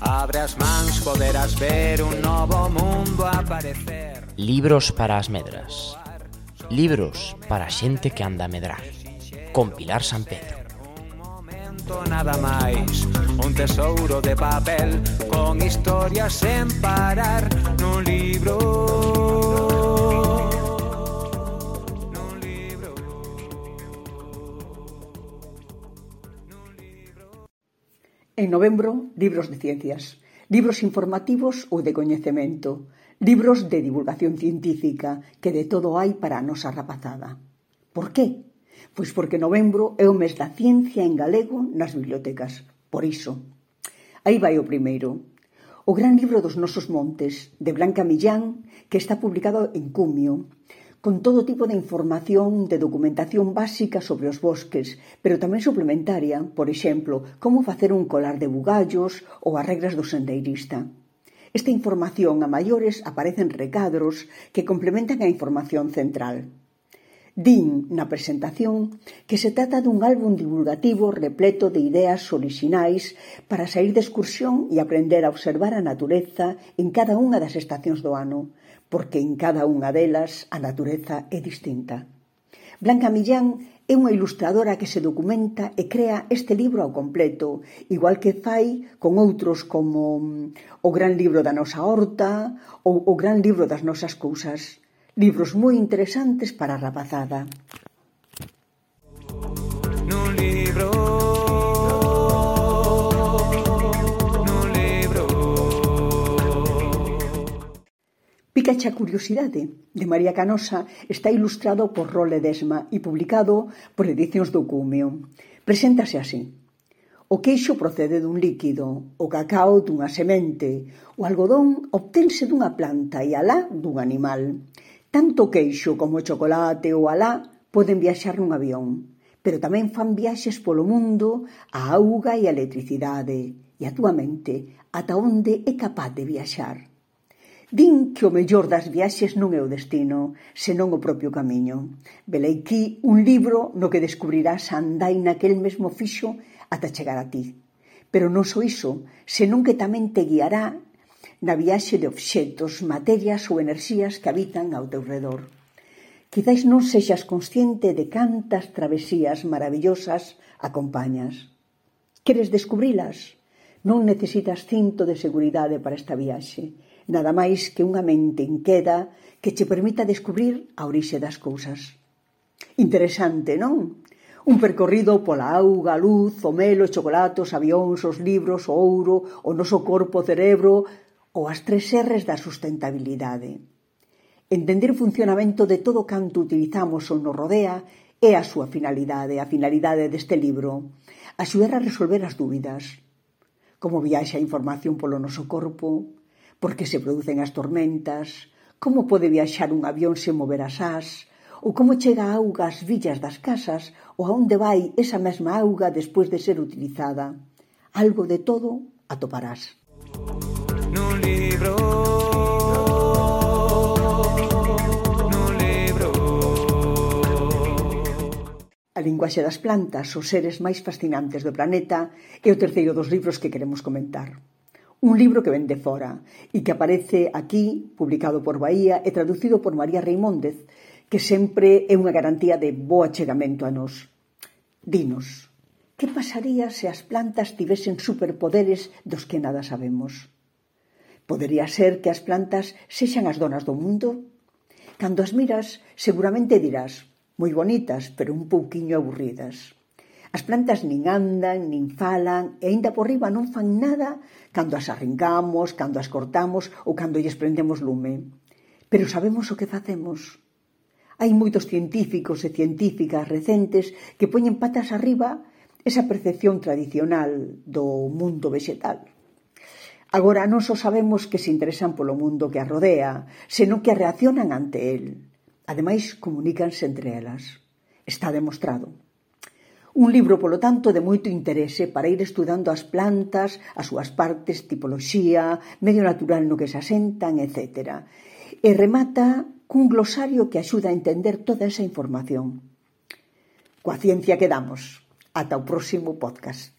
Abre as mans, poderás ver un novo mundo aparecer. Libros para as medras. Libros para a xente que anda a medrar. Con Pilar San Pedro. Nada máis, un tesouro de papel con historias sen parar nun libro. En novembro, libros de ciencias, libros informativos ou de coñecemento, libros de divulgación científica, que de todo hai para a nosa rapazada. Por qué? Pois porque novembro é o mes da ciencia en galego nas bibliotecas. Por iso. Aí vai o primeiro. O gran libro dos nosos montes, de Blanca Millán, que está publicado en Cumio, con todo tipo de información, de documentación básica sobre os bosques, pero tamén suplementaria, por exemplo, como facer un colar de bugallos ou as regras do sendeirista. Esta información a maiores aparece en recadros que complementan a información central. Din na presentación que se trata dun álbum divulgativo repleto de ideas orixinais para sair de excursión e aprender a observar a natureza en cada unha das estacións do ano, porque en cada unha delas a natureza é distinta. Blanca Millán é unha ilustradora que se documenta e crea este libro ao completo, igual que fai con outros como o gran libro da nosa horta ou o gran libro das nosas cousas. Libros moi interesantes para a rapazada. Nun libro. Pícache a curiosidade, de María Canosa, está ilustrado por Rol Ledesma e publicado por Edicións do Cumio. Preséntase así. O queixo procede dun líquido, o cacao dunha semente, o algodón obtense dunha planta e alá dun animal. Tanto o queixo como o chocolate ou alá poden viaxar nun avión, pero tamén fan viaxes polo mundo a auga e a electricidade, e a túa mente ata onde é capaz de viaxar. Din que o mellor das viaxes non é o destino, senón o propio camiño. Velaquí un libro no que descubrirás a andaina que el mesmo fixo ata chegar a ti. Pero non só iso, senón que tamén te guiará na viaxe de obxetos, materias ou enerxías que habitan ao teu redor. Quizais non sexas consciente de cantas travesías maravillosas acompañas. Queres descubrilas? Non necesitas cinto de seguridade para esta viaxe, nada máis que unha mente inqueda que che permita descubrir a orixe das cousas. Interesante, non? Un percorrido pola auga, a luz, o mel, os chocolatos, avións, os libros, o ouro, o noso corpo, o cerebro ou as 3 R's da sustentabilidade. Entender o funcionamento de todo canto utilizamos ou nos rodea é a súa finalidade, a finalidade deste libro. Axudar a resolver as dúbidas. Como viaxa a información polo noso corpo, por que se producen as tormentas, como pode viaxar un avión sen mover as ás, ou como chega a auga ás villas das casas, ou a onde vai esa mesma auga despois de ser utilizada. Algo de todo atoparás. Nun libro. Nun libro. A linguaxe das plantas, os seres máis fascinantes do planeta, é o terceiro dos libros que queremos comentar. Un libro que ven de fora e que aparece aquí, publicado por Bahía e traducido por María Reimóndez, que sempre é unha garantía de bo achegamento a nós. Dinos, que pasaría se as plantas tivesen superpoderes dos que nada sabemos? Podería ser que as plantas sexan as donas do mundo? Cando as miras, seguramente dirás, moi bonitas, pero un pouquiño aburridas. As plantas nin andan, nin falan, e aínda por riba non fan nada cando as arrancamos, cando as cortamos ou cando lles prendemos lume. Pero sabemos o que facemos. Hai moitos científicos e científicas recentes que poñen patas arriba esa percepción tradicional do mundo vegetal. Agora non só sabemos que se interesan polo mundo que as rodea, senón que reaccionan ante el. Ademais, comunícanse entre elas. Está demostrado. Un libro, polo tanto, de moito interese para ir estudando as plantas, as súas partes, tipoloxía, medio natural no que se asentan, etc. E remata cun glosario que axuda a entender toda esa información. Coa ciencia quedamos. Ata o próximo podcast.